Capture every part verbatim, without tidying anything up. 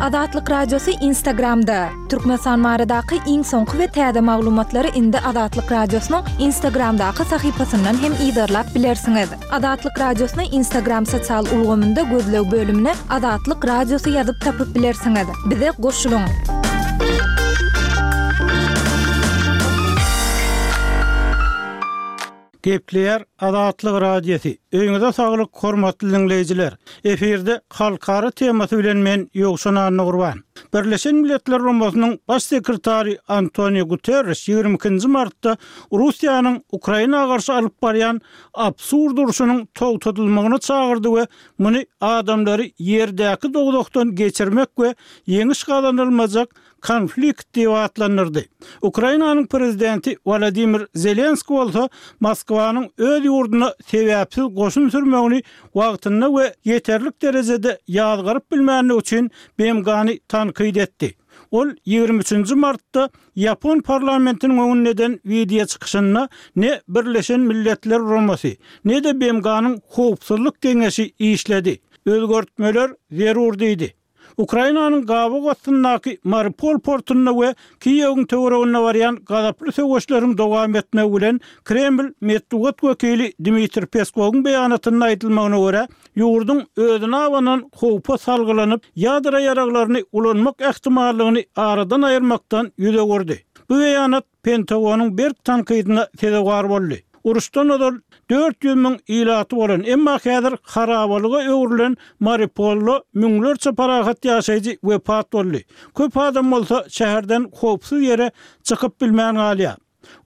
Azatlyk Radiosy Instagramda! Türkmenistan baradaky iň soňky we täze maglumatlary indi Azatlyk Radiosynyň Instagramdaky sahypasyndan hem yzarlap bilersiňiz. Azatlyk Radiosyny Instagram sosial ulgamynda gözleg bölümine Azatlyk Radiosy ýazyp tapyp bilersiňiz. Bize goşulyň! Gepleýär Azatlyk Radiosy. Öýüňize saglyk, hormatly diňleýjiler! Efirde halkara temasy bilen men Ýowşan Annagurban. Birleşen Milletler Guramasynyň Baş sekretary Antonio Guterreş ýigrimi ikinji martda Russiýanyň Ukraina garşy alyp barýan absurd urşunyň togtadylmagyna çagyrdy we muny adamlary ýerdäki dowzahdan geçirmek we ýeňiş gazanylmajak konflikt diýip atlandyrdy. Ukrainanyň prezidenti Wolodymyr Zelenskiý bolsa Moskwanyň öz ýurduna sebäpsiz goşun sürmegini wagtynda we ýeterlik derejede ýazgaryp bilmändigi üçin B M G-ny tankyt etdi. Ol ýigrimi üçünji martda ýapon parlamentiniň öňünde eden wideo çykyşynda ne Birleşen Milletler Guramasy, ne-de B M G-nyň Howpsuzlyk Geňeşi işledi. Özgertmeler zerur diýdi. Ukrainanyň gabaw astyndaky Mariupol portunda we Kiýewiň töwereginde barýan gazaply söweşleriň dowam etmegi bilen Kreml metbugat wekili Dmitriý Peskowyň beýanatynda aýdylmagyna görä, ýurduň özüne abanan howpa salgylanyp, ýadro ýaraglaryny ulanmak ähtimallygyny aradan aýyrmakdan ýüz öwürdi. Bu beýanat Pentagonyň berk tankydyna sezewar boldy. Uruşdan ozal dört ýüz müň ilaty bolan, emma häzir harabalyga öwrülen Mariupolda müňlerçe parahat ýaşaýjy wepat boldy. Köp adam bolsa şäherden howpsuz ýere çykyp bilmän galýar.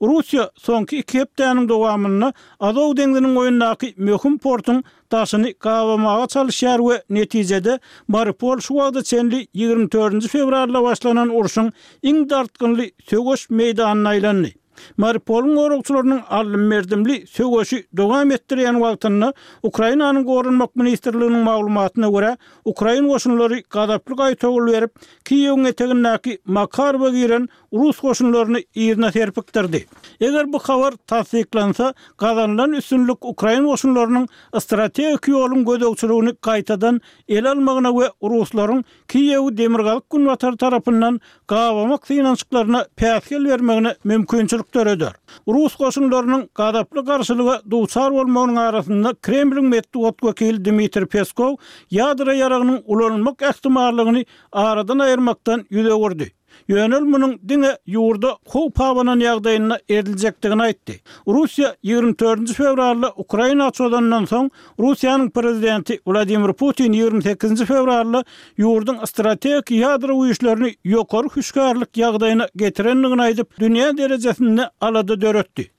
Russiýa soňky iki hepdäniň dowamynda Azow deňziniň boýundaky möhüm portuň daşyny gabamaga çalyşýar we netijede Mariupol şu wagta çenli ýigrimi dördünji fewralda başlanan urşuň iň dartgynly söweş meýdanyna aýlandy. Mariupolyň goragçylarynyň aldym-berdimli söweşi dowam etdirýän wagtynda Ukrainanyň Goranmak ministrliginiň maglumatyna görä, ukrain goşunlary gazaply gaýtawul berip, Kiýewiň etegindäki Makarowa giren rus goşunlaryny yzyna serpikdirdi. Eger bu habar tassyklansa, gazanylan üstünlik ukrain goşunlarynyň strategik ýoluň gözegçiligini gaýtadan ele almagyna we ruslaryň Kiýewi demirgazyk-günbatar tarapyndan gabamak synanyşyklaryna päsgel bermegine mümkinçilik döreder. Rus goşunlarynyň gazaply garşylyga duçar bolmagynyň arasynda Kremliň metbugat wekili Dmitriý Peskow ýadro ýaragynyň ulanylmak ähtimallygyny aradan aýyrmakdan ýüz öwürdi. Ýöne ol munuň diňe ýurda howp abanan ýagdaýynda ediljekdigini aýtdy. Russiýa ýigrimi dördünji fewralda Ukraina çozandan soň, Russiýanyň prezidenti Wladimir Putin ýigrimi sekizinji fewralda ýurduň strategik ýadro güýçlerini ýokary hüşgärlik ýagdaýyna getirendigini aýdyp, dünýä derejesinde alada döretdi.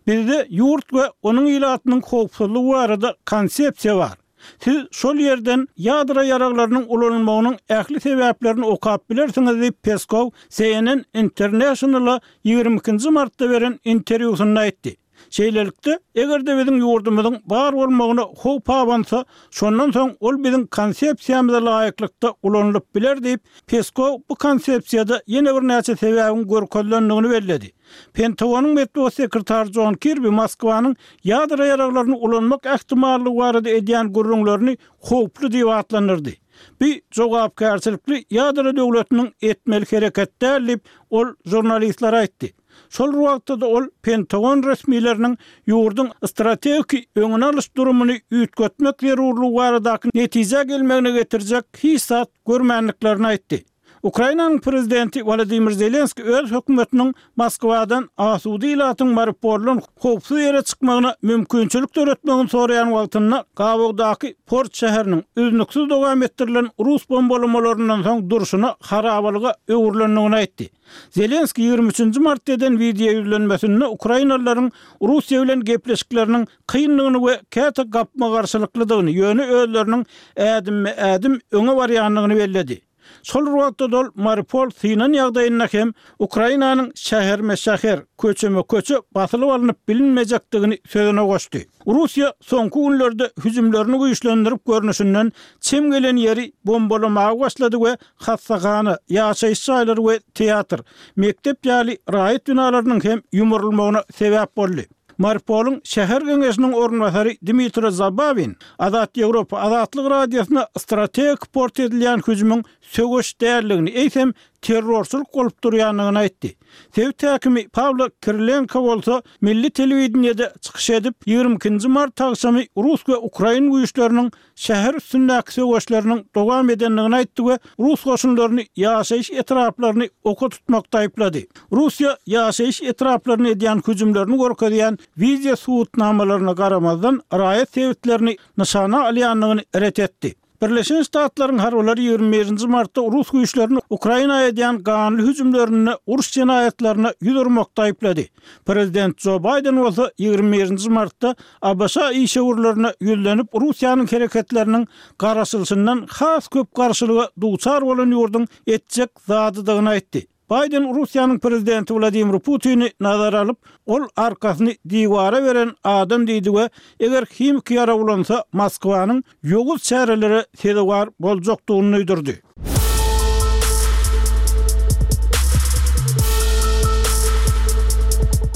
Bizde ýurt we onuň ilatynyň howpsuzlygy barada konsepsiýa bar. Siz şol ýerden ýadro ýaraglarynyň ulanylmagynyň ähli sebäplerini okap bilersiňiz diýip, Peskow C N N International-a ýigrimi ikinji martda beren interwýusynda aýtdy. Şeýlelikde, eger-de biziň ýurdumyzyň bar bolmagyna howp abansa, şondan soň ol biziň konsepsiýamyza laýyklykda ulanylyp biler diýip, Peskow bu konsepsiýada ýene birnäçe sebäbiň görkezilendigini belledi. Pentagonyň metbugat sekretary Jon Kirbi Moskwanyň ýadro ýaraglaryny ulanmak ähtimallygy barada edýän gürrüňlerini howply diýip atlandyrdy. Bu jogapkärçilikli ýadro döwletiniň etmeli hereket däl diýip, ol žurnalistlere aýtdy. Şol bir wagtda-da ol Pentagon resmileriniň ýurduň strategik öňüni alyş durumyny üýtgetmek zerurlygy baradaky netijä gelmegine getirjek hiç zat görmändiklerini aýtdy. Ukrainanyň prezidenti Wolodymyr Zelenskiý öz hökümetiniň Moskwadan asuda ilatyň Mariupoldan howpsuz ýere çykmagyna mümkinçilik döretmegini soraýan wagtynda gabawdaky port şäheriniň üznüksiz dowam etdirilen rus bombalamalaryndan soň durşuna harabalyga öwrülendigini aýtdy. Zelenskiý ýigrimi üçünji martda eden wideo ýüzlenmesinde ukrainalylaryň Russiýa bilen gepleşikleriniň kyndygyny we käte gapma-garşylyklydygyny, ýöne özleriniň ädimme-ädim öňe barýandygyny belledi. Şol bir wagtda-da ol Mariupol synan ýagdaýynda hem Ukrainanyň şäherme-şäher, köçeme-köçe basylyp alnyp bilinmejekdigini sözüne goşdy. Russiýa soňky günlerde hüjümlerini güýçlendirip görnüşinden çem gelen ýeri bombalamaga başlady we hassahana, ýaşaýyş jaýlary we teatr, mekdep ýaly raýat binalarynyň hem ýumrulmagyna sebäp boldy. Mariupolyň şäher geňeşiniň orunbasary Dmitro Zabawin Azat Ýewropa Azatlyk Radiosyna strategik port edilýän hüjümiň söweş däldigini, eýsem terrorçylyk bolup durýandygyny aýtdy. Sebit häkimi Pawlo Kirilenko bolsa milli telewideniýede çykyş edip, ýigrimi ikinji mart agşamy rus we ukrain güýçleriniň şäher üstündäki söweşleriniň dowam edendigini aýtdy we rus goşunlaryny ýaşaýyş etraplaryny oka tutmakda aýyplady. Russiýa ýaşaýyş etraplaryna edýän hüjümlerini görkezýän wideo subutnamalaryna garamazdan, raýat sebitlerini nyşana alýandygyny ret etdi. Birleşen Ştatlaryň harbylary ýigrimi birinji martda rus güýçlerini Ukraina edýän ganly hüjümlerinde uruş jenaýatlaryna ýüz urmakda aýyplady. Prezident Jo Baýden bolsa ýigrimi birinji martda ABŞ işewürlerine ýüzlenip, Russiýanyň hereketleriniň garaşylyşyndan has köp garşylyga duçar bolan ýurduň etjek zadydygyny aýtdy. Baýden Russiýanyň prezidenti Wladimir Putini nazara alyp, ol arkasyny diwara beren adam diýdi we eger himiki ýarag ulansa, Moskwanyň ýowuz çärelere sezewar boljakdygyny duýdurdy.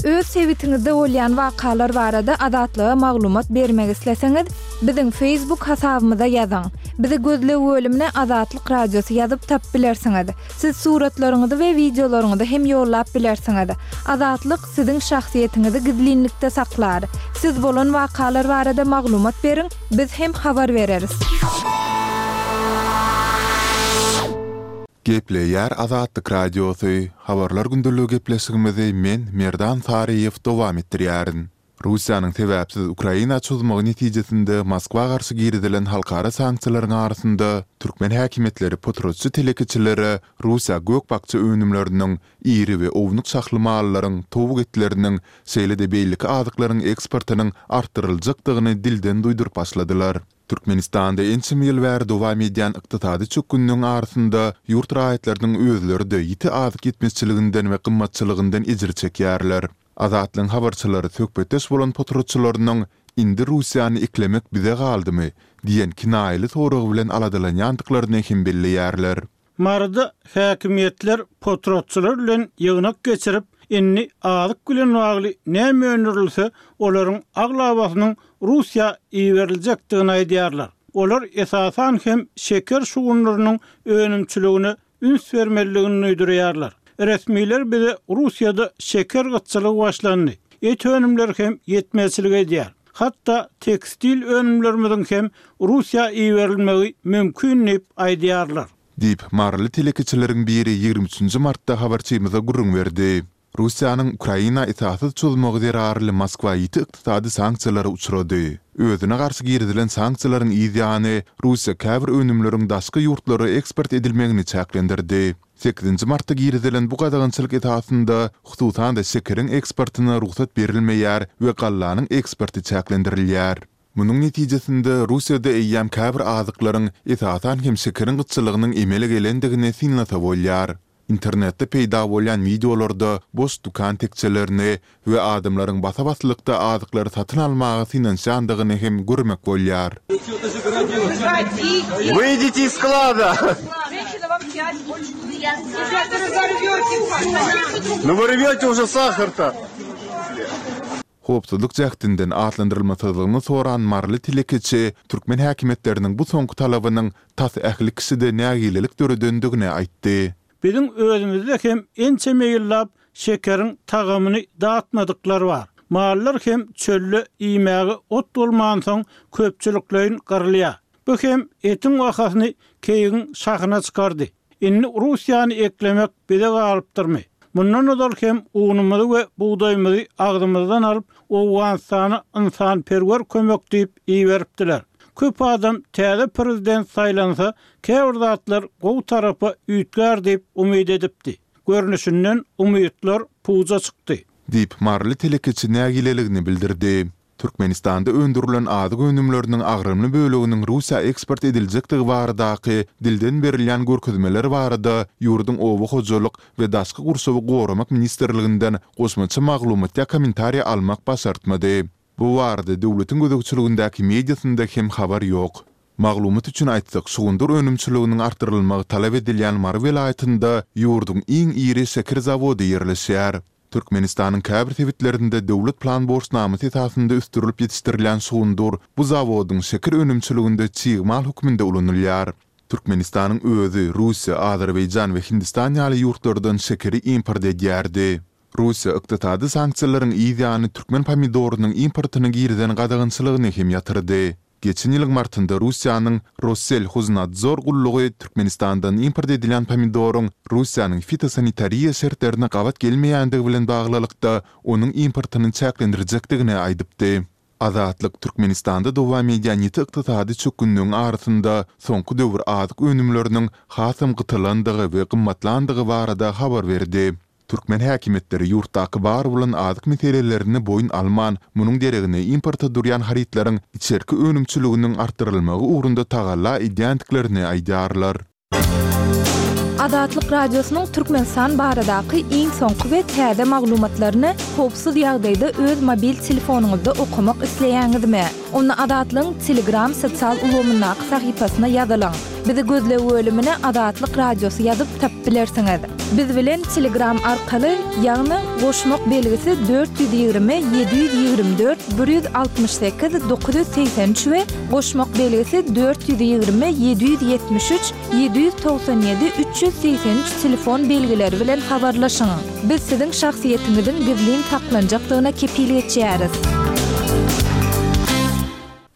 Öz sebitiňizde bolýan wakalar barada Azatlyga maglumat bermek isleseňiz, biziň Facebook hasabymyza ýazyň. Bizi gözleg bölümine Azatlyk Radiosy ýazyp tapyp bilersiňiz. Siz suratlaryňyzy we wideolaryňyzy hem ýollap bilersiňiz. Azatlyk siziň şahsyýetiňizi gizlinlikde saklar. Siz bolan wakalar barada maglumat beriň, biz hem habar bereris. Gepleýär Azatlyk Radiosy, Habarlar gündeligi gepleşigimizi men, Merdan Saryýew dowam etdirýärin. Russiýanyň sebäpsiz Ukraina çozmagy netijesinde Moskwa garşy girizilen halkara sanksiýalaryň arasynda türkmen häkimiýetleri potratçy telekeçilere Russiýa gök-bakja önümleriniň, iri we ownuk şahly mallaryň, towuk etleriniň, şeýle-de beýleki azyklaryň eksportynyň artdyryljakdygyny dilden duýduryp başladylar. Türkmenistanda ençeme ýyl bäri dowam edýän ykdysady çökgünligiň arasynda ýurt raýatlarynyň özleri-de ýiti azyk ýetmezçiliginden we gymmatçylygyndan ejir çekýärler. Azatlygyň habarçylary söhbetdeş bolan potratçylarynyň Indi Russiýany eklemek bize galdymy? diýen kinaýaly sorag bilen aladalanýandyklaryny hem belleýärler. Maryda häkimiýetler potratçylar bilen ýygnak geçirip, indi azyk bilen bagly näme öndürilse, olaryň aglabasynyň Russiýa iberiljekdigini aýdýarlar. Olar esasan hem şeker şugundyrynyň önümçiligine üns bermelidigini duýdurýarlar. Resmiler bize Russiýada şeker gytçylygy başlandy, et önümleri hem ýetmezçilik edýär. Hatda tekstil önümlerimiziň hem Russiýa iberilmegi mümkin diýip aýdýarlar. Diýip, maryly telekeçileriň biri ýigrimi üçünji martda habarçymyza gürrüň berdi. Russiýanyň Ukraina esassyz çozmagy zerarly Moskwa ýiti ykdysady sanksiýalara uçrady. Özüne garşy girizilen sanksiýalaryň yz ýany, Russiýa käbir önümleriň daşky ýurtlara eksport edilmegini çäklendirdi. Sekizinji martda girizilen bu gadagançylyk esasynda, hususan-da şekeriň eksportyna rugsat berilmeýär we gallanyň eksporty çäklendirilýär. Munuň netijesinde, Russiýada eýýäm käbir azyklaryň, esasan hem şekeriň gytçylygynyň emele gelendigini synlasa bolýar. Internetde peýda bolýan wideolarda boş dükan tekjelerini we adamlaryň basa-baslykda azyklary satyn almaga synanyşýandygyny hem görmek bolýar. Wyjdite iz sklada! Nu вы rwete уже sahar-to! Howpsuzlyk jähtinden atlandyrylmasyzlygyny soran maryly telekeçi türkmen häkimiýetleriniň bu soňky talabynyň tas ähli kişide nägilelik döredendigini aýtdy. Biziň özümizde hem ençeme ýyllap şekeriň tagamyny datmadyklar bar. Mallar hem çölde iýmäge ot bolmansoň köpçülikleýin gyrylýar. Bu hem etiň bahasyny keýigiň şahyna çykardy. Indi Russiýany eklemek bize galypdyrmy? Mundan ozal hem unumyzy we bugdaýymyzy agzymyzdan alyp, Owganystana ynsanperwer kömek diýip iberipdiler. Köp adam täze prezident saýlansa, käbir zatlar gowy tarapa üýtgär diýip umyt edipdi. Görnüşinden, umytlar puja çykdy. Diýip, maryly telekeçi nägileligini bildirdi. Türkmenistanda öndürilen azyk önümleriniň agramly böleginiň Russiýa eksport ediljekdigi baradaky dilden berilýän görkezmeler barada ýurduň Oba hojalyk we daşky gurşawy goramak ministrliginden goşmaça maglumat ýa kommentariý almak başartmady. Bu barada döwletiň gözegçiligindäki mediasynda hem habar ýok. Maglumat üçin aýtsak, şugundyr önümçiliginiň artdyrylmagy talap edilýän Mary welaýatynda ýurduň iň iri şeker zawody ýerleşýär. Türkmenistanyň käbir sebitlerinde döwlet plan borçnamasy esasynda ösdürilip ýetişdirilýän şugundyr bu zawodyň şeker önümçiliginde çig mal hökmünde ulanylýar. Türkmenistanyň özi Russiýa, Azerbaýjan we Hindistan ýaly ýurtlardan şekeri import edýärdi. Russiýa ykdysady sanksiýalaryň yz ýany türkmen pomidorynyň importyna girizen gadagançylygyny hem ýatyrdy. Geçen ýylyň martynda Russiýanyň Rosselhoznadzor gullugy Türkmenistandan import edilýän pomidoryň Russiýanyň fitosanitariýa şertlerine gabat gelmeýändigi bilen baglylykda, onuň importyny çäklendirjekdigini aýdypdy. Azatlyk Türkmenistanda dowam edýän ýiti ykdysady çökgünligiň arasynda soňky döwür azyk önümleriniň hasam gytalandygy we gymmatlandygy barada habar berdi. Türkmen häkimiýetleri ýurtdaky bar bolan azyk meselelerini boýun alman, munuň deregine importa durýan harytlaryň içerki önümçiliginiň artdyrylmagy ugrunda tagalla edýändiklerini aýdýarlar. Azatlyk Radiosynyň Türkmenistan baradaky iň soňky we täze maglumatlaryny howpsuz ýagdaýda öz mobil telefonyňyzda okamak isleýäňizmi? Onda Azatlygyň Telegram sosial ulgamyndaky sahypasyna ýazylyň. Bizi gözleg bölümine Azatlyk Radiosy ýazyp tapyp bilersiňiz. Biz bilen Telegram arkaly, ýagny goşmak belgisi dört ýüz ýigrimi ýedi ýüz ýigrimi dört bir ýüz altmyş sekiz dokuz ýüz segsen üç we goşmak belgisi dört ýüz ýigrimi ýedi ýüz ýetmiş üç ýedi ýüz togsan ýedi üç ýüz segsen üç telefon belgileri bilen habarlaşyň. Biz siziň şahsyýetiňiziň gizlin saklanjakdygyna kepil geçýäris.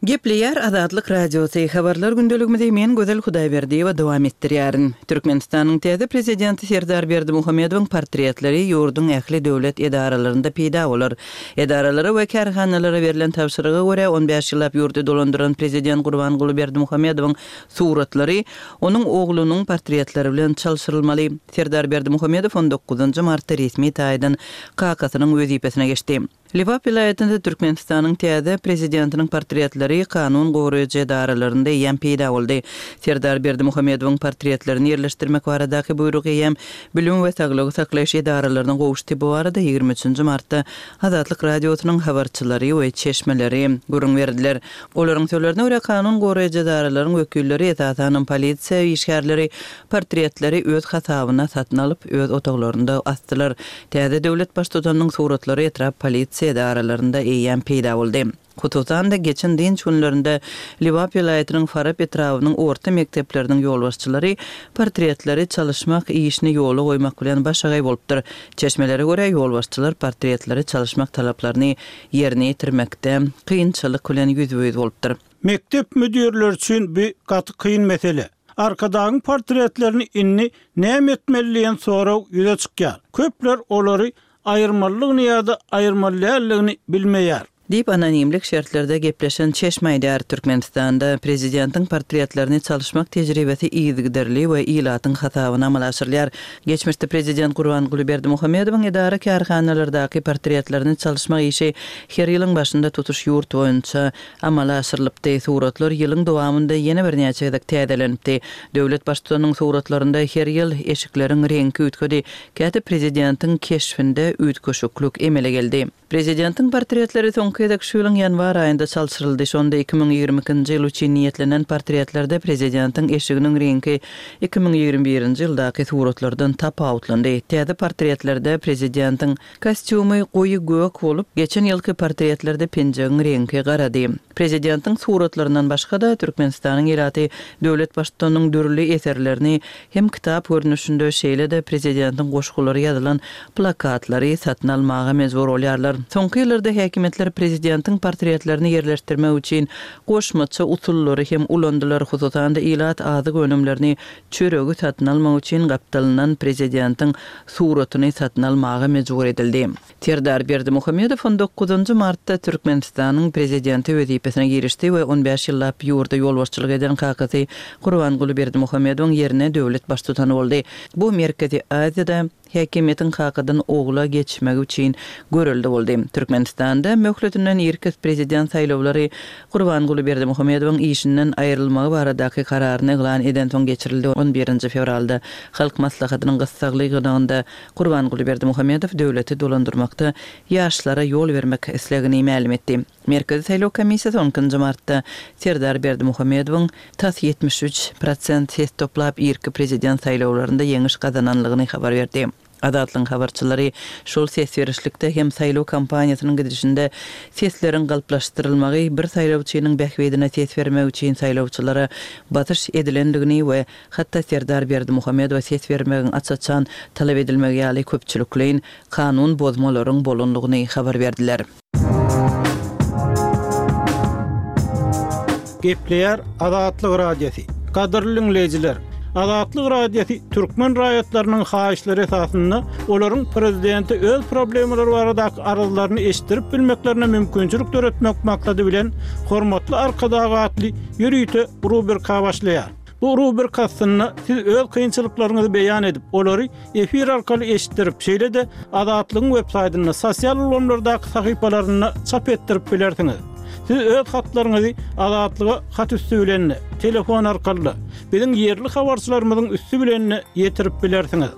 Gepleýär Azatlyk Radiosy, Habarlar gündeligimizi men Gözel Hudaýberdiýewa dowam etdirýärin. Türkmenistanyň täze Prezidenti Serdar Berdimuhamedowyň portretleri ýurduň ähli döwlet edaralarynda peýda bolar. Edaralara we kärhanalara berlen tabşyryga görä, on bäş ýyllap ýurdy dolandyran Prezident Gurbanguly Berdimuhamedowyň suratlary onuň oglunyň portretleri bilen çalşyrylmaly. Serdar Berdimuhamedow on dokuzynjy martda resmi taýdan kakasynyň wezipesine geçdi. Lebap welaýatynda Türkmenistanyň täze Prezidentiniň portretleri kanun goraýjy edaralarynda eýýäm peýda boldy. Serdar Berdimuhamedowyň portretlerini ýerleşdirmek baradaky buýruk eýýäm bilim we saglygy saklaýyş edaralaryna gowuşdy. Bu barada ýigrimi üçünji martda Azatlyk Radiosynyň habarçylary we çeşmeleri gürrüň berdiler. Olaryň sözlerine görä, kanun goraýjy edaralaryň wekilleri, esasanam polisiýa işgärleri portretleri öz hasabyna satyn alyp, öz otaglarynda asdylar. Täze döwlet Baştutanynyň suratlary etrap polisiýa edaralarynda eýýäm peýda boldy. Hususan-da, geçen dynç günlerinde Lebap welaýatynyň Farap etrabynyň orta mekdepleriniň ýolbaşçylary portretleri çalyşmak işini ýola goýmak bilen başagaý bolupdyr. Çeşmelere görä, ýolbaşçylar portretleri çalyşmak talaplaryny ýerine ýetirmekde kynçylyk bilen ýüzbe-ýüz bolupdyr. Mekdep müdirleri üçin bu gaty kyn mesele. Arkadagyň portretlerini indi näme etmeli diýen sorag ýüze çykýar. Köpler olary aýyrmalydygyny ýa-da aýyrmaly däldigini bilmeýär. Diýip, anonimlik şertlerde gepleşen çeşme aýdýar. Türkmenistanda prezidentiň portretlerini çalyşmak tejribesi yzygiderli we ilatyň hasabyna amala aşyrylýar. Geçmişde prezident Gurbanguly Berdimuhamedowyň edara-kärhanalardaky portretlerini çalyşmak işi her ýylyň başynda tutuş ýurt boýunça amala aşyrylypdy. Suratlar ýylyň dowamynda ýene birnäçe gezek täzelenipdi. Döwlet Baştutanynyň suratlarynda her ýyl eşikleriň reňki üýtgedi, käte prezidentiň keşbinde üýtgeşiklik emele geldi. Prezidentiň portretleri soňky gezek şu ýylyň ýanwar aýynda çalşyryldy. Şonda iki müň ýigrimi ikinji ýyl üçin niýetlenen portretlerde prezidentiň eşiginiň reňki iki müň ýigrimi birinji ýyldaky suratlardan tapawutlandy. Täze portretlerde prezidentiň Kostýumy goýy gök bolup, geçen ýylky portretlerde penjegiň reňki garady. Prezidentiň suratlaryndan başga-da, Türkmenistanyň ilaty döwlet Baştutanynyň dürli eserlerini hem kitap görnüşinde, şeýle-de prezidentiň goşgulary ýazylan plakatlary satyn almaga mejbur bolýarlar. Soňky ýyllarda häkimiýetler prezidentiň portretlerini ýerleşdirmek üçin goşmaça usullary hem ulandylar, hususan-da, ilat azyk önümlerini çöregi satyn almak üçin gapdalyndan prezidentiň suratyny satyn almaga mejbur edildi. Serdar Berdimuhamedow on dokuzynjy martda Türkmenistanyň Prezidenti wezipesine girişdi we on bäş ýyllap ýurda ýolbaşçylyk eden kakasy Gurbanguly Berdimuhamedowyň ýerine döwlet Baştutany boldy. Bu Merkezi Aziýada häkimiýetiň kakadan ogla geçmegi üçin görelde boldy. Türkmenistanda möhletinden irki prezident saýlawlary Gurbanguly Berdimuhamedowyň işinden aýrylmagy baradaky kararyny yglan edensoň geçirildi. On birinji fewralda Halk Maslahatynyň gyssagly ýygnagynda Gurbanguly Berdimuhamedow döwleti dolandyrmakda ýaşlara ýol bermek islegini mälim etdi. Merkezi saýlaw komissiýasy on ikinji martda Serdar Berdimuhamedowyň tas ýetmiş üç prosent ses toplap irki prezident saýlawlarynda ýeňiş gazananlygyny habar berdi. Azatlygyň habarçylary şol ses berişlikde hem saýlaw kampaniýasynyň gidişinde sesleriň galplaşdyrylmagy bir saýlawçynyň bähbidine ses bermek üçin saýlawçylara basyş edilendigini we hatda Serdar Berdimuhamedowa ses bermegiň aç-açan talap edilmegi ýaly köpçülikleýin kanun bozmalaryň bolandygyny habar berdiler. Gepleýär Azatlyk Radiosy. Gadyrly dinleýjiler, Azatlyk Radiosy türkmen raýatlarynyň haýyşlary esasynda olaryň prezidente öz problemalary baradaky arzlaryny eşitdirip bilmeklerine mümkinçilik döretmek maksady bilen Hormatly Arkadag atly ýörite rubrika başlaýar. Bu rubrika astynda siz öz kynçylyklaryňyzy beýan edip, olary efir arkaly eşitdirip, şeýle-de Azatlygyň web saýtynda, sosial ulgamlardaky sahypalarynda çap etdirip bilersiňiz. Siz öz hatlaryňyzy Azatlyga hat üsti bilen, telefon arkaly, biziň ýerli habarçylarymyzyň üsti bilen ýetirip bilersiňiz.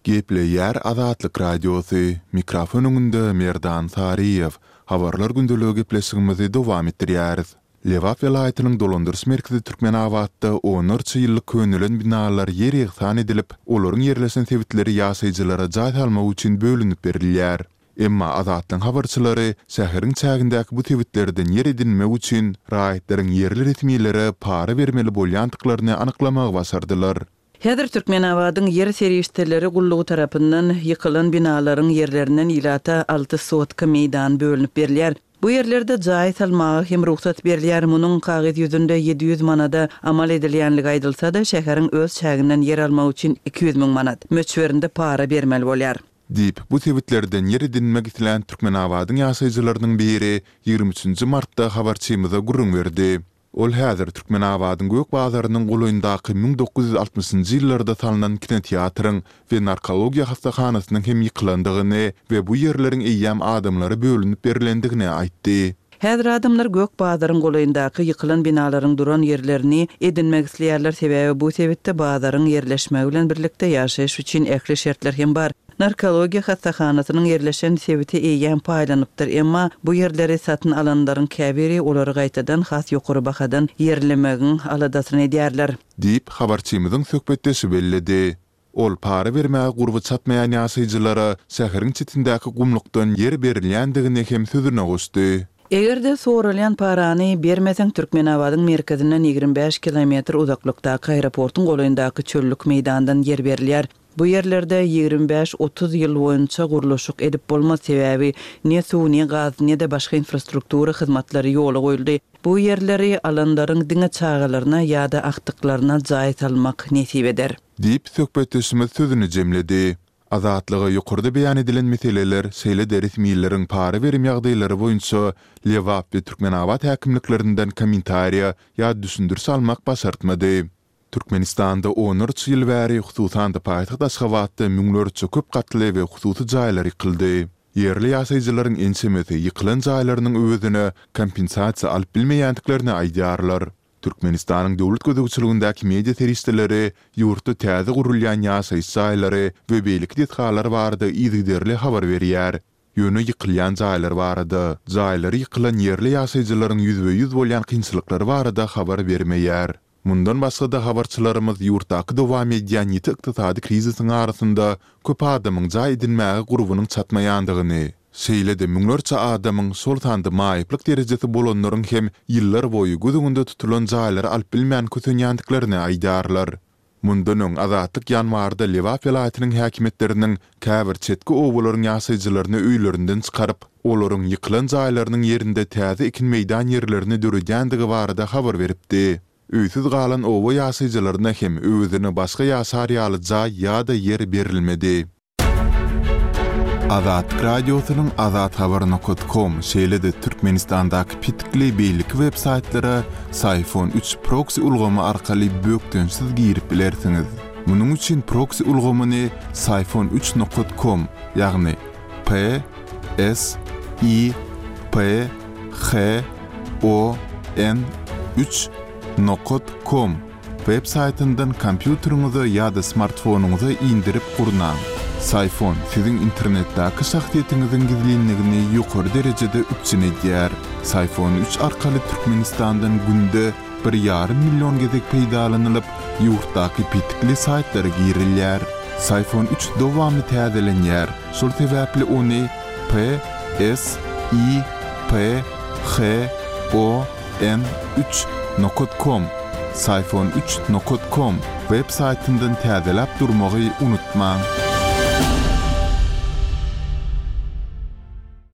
Gepleýär Azatlyk Radiosy, mikrofon öňünde Merdan Saryýew. Habarlar gündeligi gepleşigimizi dowam etdirýäris. Lebap welaýatynyň dolandyryş merkezi Türkmenabatda onlarça ýyllyk könelen binalar ýer ýegsan edilip, olaryň ýerleşen sebitleri ýaşaýjylara jaý salmak üçin bölünip berilýär. Emma Azatlygyň habarçylary şäheriň çägindäki bu sebitlerden ýer edinmek üçin raýatlaryň ýerli resmilere para bermeli bolýandyklaryny anyklamagy başardylar. Häzir Türkmenabadyň ýer serişdeleri gullugy tarapyndan ýykylan binalaryň ýerlerinden ilata alty sotka meýdan bölünip berilýär. Bu ýerlerde jaý salmaga hem rugsat berilýär. Munuň kagyz ýüzünde ýedi ýüz manada amal edilýänligi aýdylsa-da, şäheriň öz çäginden ýer almak üçin iki ýüz müň manat möçberinde para bermeli bolýar. Diýip, bu sebitlerden ýer edinmek islän Türkmenabadyň ýaşaýjylarynyň biri ýigrimi üçünji martda habarçymyza gürrüň berdi. Ol häzir Türkmenabadyň Gök bazarynyň golaýyndaky müň dokuz ýüz altmyşynjy ýyllarda salnan kinoteatryň we narkologiýa hassahanasynyň hem ýykylandygyny we bu ýerleriň eýýäm adamlara bölünip berilendigini aýtdy. Häzir adamlar Gök bazaryň golaýyndaky ýykylan binalaryň duran ýerlerini edinmek isleýärler, sebäbi bu sebitde bazaryň ýerleşmegi bilen birlikde ýaşaýyş üçin ähli şertler hem bar. Narkologiýa hassahanasynyň ýerleşen sebiti eýýäm paýlanypdyr, emma bu ýerleri satyn alanlaryň käbiri olary gaýtadan has ýokary bahadan ýerlemegiň aladasyny edýärler. Diýip, habarçymyzyň söhbetdeşi belledi. Ol para bermäge gurby çatmaýan ýaşaýjylara şäheriň çetindäki gumlukdan ýer berilýändigini hem sözüne goşdy. Eger-de soralýan parany bermeseň, Türkmenabadyň merkezinden ýigrimi bäş kilometr uzaklykdaky aeroportuň golaýyndaky çöllük meýdandan ýer berilýär. Bu ýerlerde ýigrimi bäş otuz ýyl boýunça gurluşyk edip bolmaz, sebäbi ne suw, ne gaz, ne-de başga infrastruktura hyzmatlary ýola goýuldy. Bu ýerleri alanlaryň diňe çagalaryna ýa-da agtyklaryna jaý salmak nesip eder. Diýip, söhbetdeşimiz sözüni jemledi. Azatlyga ýokarda beýan edilen meseleler, şeýle-de resmileriň para berim ýagdaýlary boýunça Lebap we Türkmenabat häkimliklerinden kommentariýa ýa düşündiriş almak başartmady. Türkmenistanda onlarça ýyl bäri, hususan-da paýtagt Aşgabatda müňlerçe köp gatly we hususy jaýlar ýykyldy. Ýerli ýaşaýjylaryň ençemesi ýykylan jaýlarynyň öwezine kompensasiýa alyp bilmeýändiklerini aýdýarlar. Türkmenistanyň döwlet gözegçiligindäki media serişdeleri ýurtda täze gurulýan ýaşaýyş jaýlary we beýleki desgalar barada yzygiderli habar berýär. Ýöne ýykylýan jaýlar barada, jaýlary ýykylan ýerli ýaşaýjylaryň ýüzbe-ýüz bolýan kynçylyklary barada habar bermeýär. Mundan başga-da habarçylarymyz ýurtdaky dowam edýän ýiti ykdysady krizisiň arasynda köp adamyň jaý edinmäge gurbunyň çatmaýandygyny, şeýle-de müňlerçe adamyň, şol sanda maýyplyk derejesi bolanlaryň hem ýyllar boýy göz öňünde tutulan jaýlary alyp bilmän kösenýändiklerini aýdýarlar. Mundan öň Azatlyk ýanwarda Lebap welaýatynyň häkimiýetleriniň käbir çetki obalaryň ýaşaýjylaryny öýlerinden çykaryp, olaryň ýykylan jaýlarynyň ýerinde täze ekin meýdan ýerlerini döredýändigi barada habar beripdi. Öýsüz galan oba ýaşaýjylaryna hem öwezine başga ýaşar ýaly jaý ýa-da ýer berilmedi. Azatlyk Radiosynyň azathabar nokta com, şeýle-de Türkmenistandaky petikli beýleki web saýtlara Syfon üç proksi ulgamy arkaly bökdençsiz girip bilersiňiz. Munuň üçin proksi ulgamyny Syfon üç nokta com, ýagny P S I P H O N üç nokta com web saýtyndan kompýuteriňize ýa-da smartfonyňyza indirip gurnaň. Syfon siziň internetdäki şahsyýetiňiziň gizlinligini ýokary derejede üpjün edýär. Syfon üç arkaly Türkmenistandan günde bir ýarym million gezek peýdalanylyp, ýurtdaky petikli saýtlara girilýär. Psiphon üç dowamly täzelenýär, şol sebäpli ony P S I P H O N üç nokat kom, Psiphon üç nokat kom, web saýtyndan täzeläp durmagy unutmaň.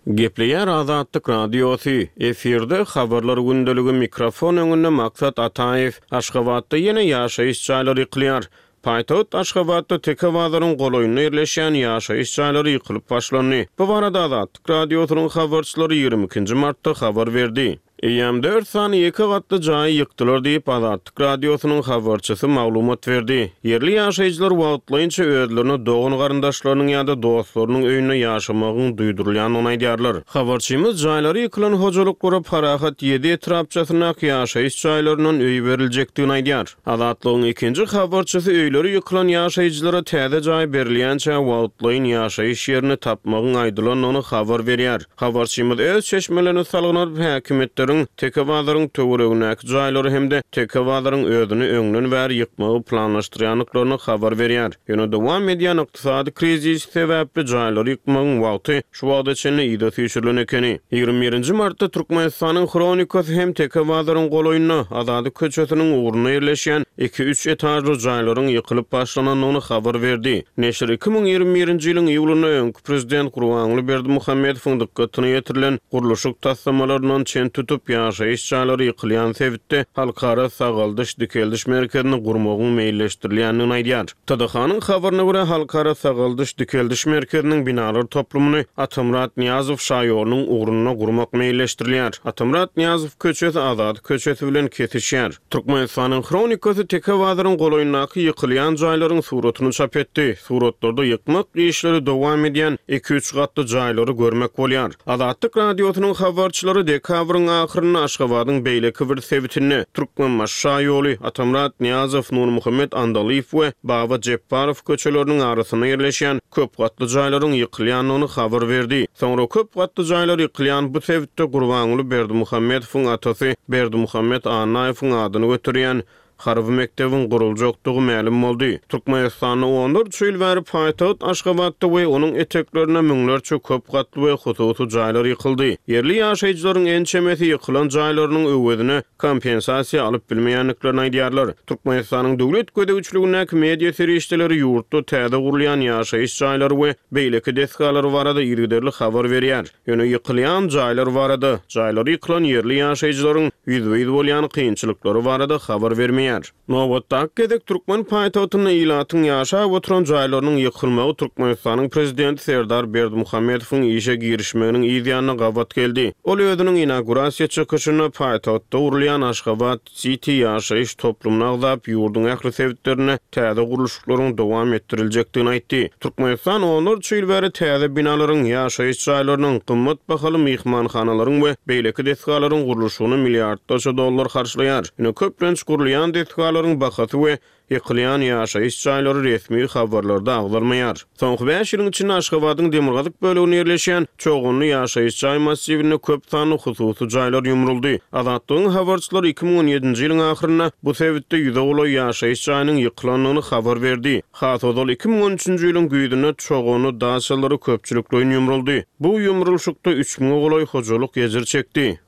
Gepleýär Azatlyk Radiosy, efirde habarlar gündeligi mikrofon öňünde Maksat Ataýew. Aşgabatda ýene ýaşaýyş jaýlary ýykylýar. Paýtagt Aşgabatda Teke bazaryň golaýynda ýerleşýän ýaşaýyş jaýlary ýykylyp başlandy. Bu barada Azatlyk Radiosynyň habarçylary ýigrimi ikinji martda habar berdi. Eýýäm dört sany ýeke gatly jaýy ýykdylar diýip Azatlyk Radiosynyň habarçysy maglumat berdi. Ýerli ýaşaýjylar wagtlaýynça özlerine dogan garyndaşlarynyň ýa-da dostlarynyň öýünde ýaşamagyň duýdurylýandygyny aýdýarlar. Habarçymyz jaýlary ýykylan hojalyklara Parahat ýedi etrapçasyndaky ýaşaýyş jaýlaryndan öý beriljekdigini aýdýar. Azatlygyň ikinji habarçysy öýleri ýykylan ýaşaýjylara täze jaý berilýänçä wagtlaýyn ýaşaýyş ýerini tapmagyň aýdylandygyny habar berýär. Habarçymyz öz çeşmelerini salgylanyp häkimiýetleriň Teke bazaryň töweregindäki jaýlary hem-de Teke bazaryň özüni öňden bäri ýykmagy planlaşdyrýandyklaryny habar berýär. Ýöne dowam edýän ykdysady krizis sebäpli jaýlary ýykmagyň wagty şu wagta çenli ýyda süýşürilen ekeni. Ýigrimi birinji martda Türkmenistanyň Hronikasy hem Teke bazaryň golaýynda Azady köçesiniň ugrunda ýerleşýän iki-üç etažly jaýlaryň ýykylyp başlanandygyny habar berdi. Neşir iki müň ýigrimi birinji ýylyň iýulynda öňki prezident Gurbanguly Berdimuhamedowyň dykgatyna ýetirilen gurluşyk taslamalaryndan çen tutup ýaşaýyş jaýlary ýykylýan sebitde halkara sagaldyş dikeldiş merkezini gurmagyň meýilleşdirilýändigini aýdýar. T D H-nyň habaryna görä halkara sagaldyş dikeldiş merkeziniň binalar toplumyny Atamrat Niýazow şaýolunyň ugrunda gurmak meýilleşdirilýär. Atamrat Niýazow köçesi Azady köçesi bilen kesişýär. Türkmenistanyň Hronikasy Teke bazaryň golaýyndaky ýykylýan jaýlaryň suratyny çap etdi. Suratlarda ýykmak işleri dowam edýän iki-üç gatly jaýlary görmek bolýar. Azatlyk Radiosynyň habarçylary dekabryň ahyrynda Aşgabadyň beýleki bir sebitinde Türkmenbaşy şaýoly, Atamrat Niýazow, Nurmuhammet Andalyýew we Baba Jepbarow köçeleriniň arasynda ýerleşýän köp gatly jaýlaryň ýykylýandygyny habar berdi. Soňra köp gatly jaýlar ýykylýan bu sebitde Gurbanguly Berdimuhamedowyň atasy Berdimuhamet Annaýewiň adyny göterýän harby mekdebiň guruljakdygy mälim boldy. Türkmenistanda onlarça ýyl bäri paýtagt Aşgabatda we onuň eteklerinde müňlerçe köp gatly we hususy jaýlar ýykyldy. Ýerli ýaşaýjylaryň ençemesi ýykylan jaýlarynyň öwezine kompensasiýa alyp bilmeýändiklerini aýdýarlar. Türkmenistanyň döwlet gözegçiligindäki media serişdeleri ýurtda täze gurulýan ýaşaýyş jaýlary we beýleki desgalary barada yzygiderli habar berýär. Ýöne ýykylýan jaýlar barada, jaýlary ýykylan ýerli ýaşaýjylaryň ýüzbe-ýüz bolýan kynçylyklary barada habar bermeýär. Nobatdaky gezek türkmen paýtagtynda ilatyň ýaşap oturan jaýlarynyň ýykylmagy Türkmenistanyň prezidenti Serdar Berdimuhamedowyň işe girişmeginiň yz ýanyna gabat geldi. Ol özüniň inaugurasiýa çykyşynda paýtagtda gurulýan Aşgabat City ýaşaýyş toplumyny agzap, ýurduň ähli sebitlerinde täze gurluşyklaryň dowam etdiriljekdigini aýtdy. Türkmenistan onlarça ýyl bäri täze binalaryň, ýaşaýyş jaýlarynyň, gymmat bahaly myhmanhanalaryň we beýleki desgalaryň gurluşygyna milliardlarça dollar harçlaýar. Ýöne köplenç gurulýan desgalaryň bahasy we ýykylýan ýaşaýyş jaýlary resmi habarlarda agzalmaýar. Soňky bäş ýylyň içinde Aşgabadyň demirgazyk böleginde ýerleşýän Çoganly ýaşaýyş jaý massiwinde köp sanly hususy jaýlar ýumruldy. Azatlygyň habarçylary iki müň on ýedinji ýylyň ahyrynda bu sebitde ýüze golaý ýaşaýyş jaýynyň ýykylandygyny habar berdi. Has ozal iki müň on üçünji ýylyň güýzünde Çoganly daçalary köpçülikleýin ýumruldy. Bu ýumrulşykda üç müňe golaý hojalyk ejir çekdi.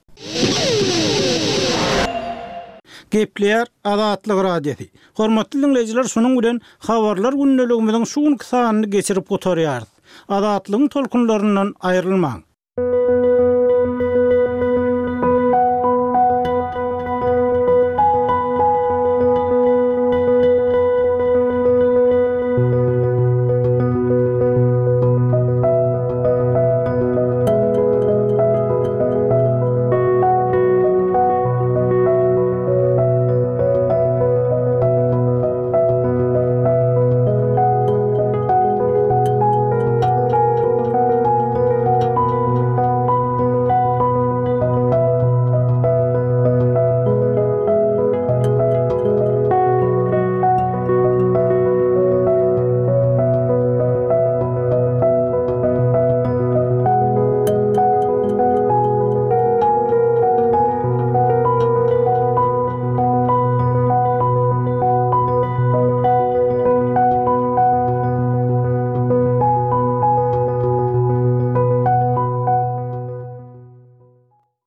Gepleýär Azatlyk Radiosy. Hormatly dinleýjiler, şunuň bilen habarlar gündeligimiziň şu günki sanyny geçirip gutarýarys. Azatlygyň tolkunlaryndan aýrylmaň.